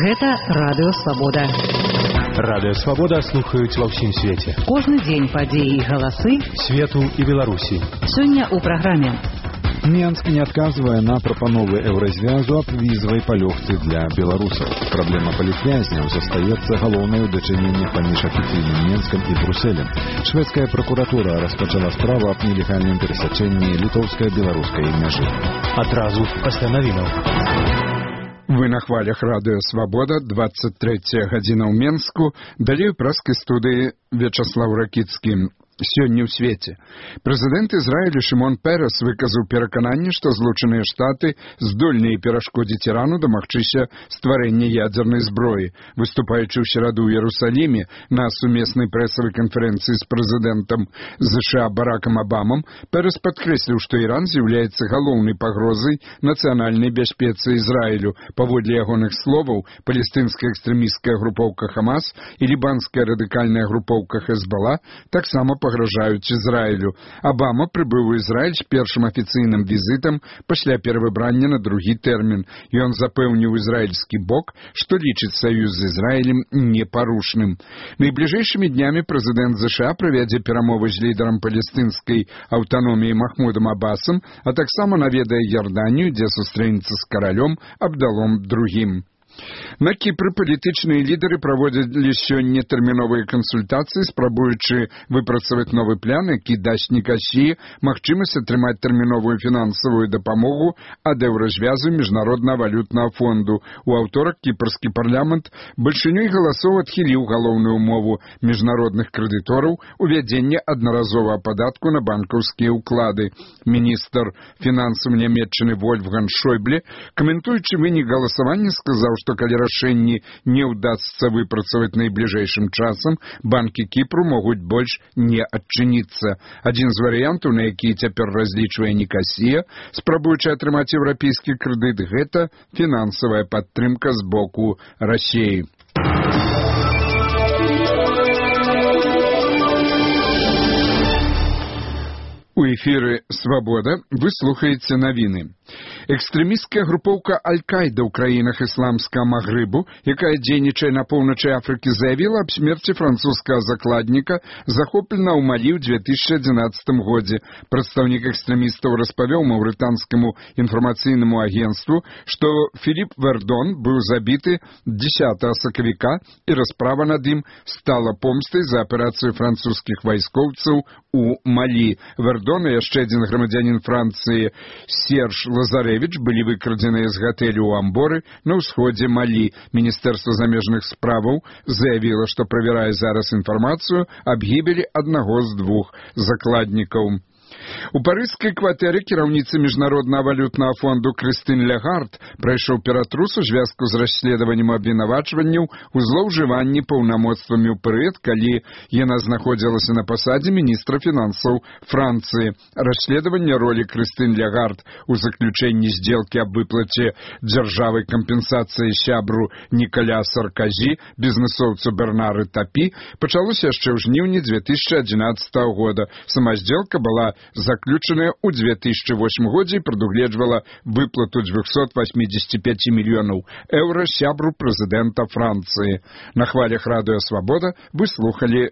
Гэта Радыё Свабода. Радыё Свабода слухаюць ва ўсім свеце. Кожны дзень падзеі і галасы свету і Беларусі. Сёння ў праграме. Мінск не адказвае на прапановы еўразвязу аб візавай палёгцы для беларусаў. Праблема палітвязняў застаецца галоўнай у дачыненнях паміж афіцыйным Мінскам і Брусэлем. Шведская пракуратура распачала справу аб нелегальным перасячэнні літоўска-беларускай мяжы. Адразу пасля навінаў. Вы на хвалях Радыё Свабода, 23 гадзіна ў Менску, далей у праскай студыі Вячаслаў Ракіцкі. Сёння ў свеце. Прэзідэнт Ізраілю Шымон Перес выказаў перакананне, што Злучаныя Штаты здольныя перашкодзіць Ірану дамагчыся стварэння ядзернай зброі. Выступаючы ў сераду ў Іерусаліме на сумеснай прэсавай канферэнцыі з прэзідэнтам США Баракам Абамам, Перес падкрэсліў, што Іран з'яўляецца галоўнай пагрозай нацыянальнай бяспецы Ізраілю. Паводле ягоных словаў, палестынская экстрэмісцкая групоўка Хамас і лібанская радыкальная групоўка Хезбалла таксама пагражаюць Ізраілю. Абама прыбыў у Ізраіль з першым афіцыйным візітам пасля перавыбрання на другі тэрмін. Ён запэўніў ізраільскі бок, што лічыць саюз з Ізраілем непарушным. Найбліжэйшымі днямі прэзідэнт США правядзе перамовы з лідарам палестынскай аўтаноміі Махмудам Абасам, а таксама наведае Ярданію, дзе сустрэнецца з каралём Абдалом II. На Кіпры палітычныя лідары праводзілі сёння тэрміновыя кансультацыі, спрабуючы выпрацаваць новы план, які дасць Нікасіі магчымасць атрымаць тэрміновую фінансавую дапамогу ад еўразвязу міжнароднага валютнага фонду. У аўторак кіпрскі парламент бальшынёй галасоў адхіліў галоўную умову міжнародных крэдытораў увядзення аднаразовага падатку на банкаўскія ўклады. Міністр фінансаў Нямецчыны Вольфганг Шойбле, каментуючы вынік галасавання, сказаў, што калі рашэнні не ўдасца выпрацаваць найбліжэйшым часам, банкі Кіпру могуць больш не адчыніцца. Адзін з варыянтаў, на які цяпер разлічвае Нікасія, спрабуючы атрымаць еўрапейскі крэдыт, гэта фінансавая падтрымка з боку Расіі. У эфіры «Свабода» вы слухаеце навіны. Экстрэмісцкая групоўка Аль-Кайда ў краінах ісламскага Магрыбу, якая дзейнічае на поўначы Афрыкі, заявіла аб смерці французскага закладніка, захоплена ў Малі ў 2011 годзе. Прадстаўнік экстрэмістаў распавёў маўрытанскаму інфармацыйнаму агенцтву, што Філіп Вердон быў забіты 10 сакавіка, і расправа над ім стала помстай за аперацыю французскіх вайскоўцаў у Малі. Вердон і яшчэ адзін грамадзянін Францыі Серж Лазарэвіч былі выкрадзеныя з гатэлю ў Амборы на ўсходзе Малі. Міністэрства замежных справаў заявіла, што правярае зараз інфармацыю аб гібелі аднаго з двух закладнікаў. У парыжскай кватэры кіраўніцы міжнароднага валютнага фонду Крыстын Лягард прайшоў ператрус у звязку з расследаваннем абвінавачванняў у злоўжыванні паўнамоцтвамі ў перыяд, калі яна знаходзілася на пасадзе міністра фінансаў Францыі. Расследаванне ролі Крыстын Лягард у заключэнні здзелкі аб выплаце дзяржавай кампенсацыі сябру Нікаля Сарказі, бізнесоўцу Бернары Тапі, пачалося яшчэ ў жніўні 2011 года. Сама здзелка была заключаная ў 2008 годзе і прадугледжвала выплату 285 мільёнаў еўра сябру прэзідэнта Францыі. На хвалях Радыё Свабода вы слухалі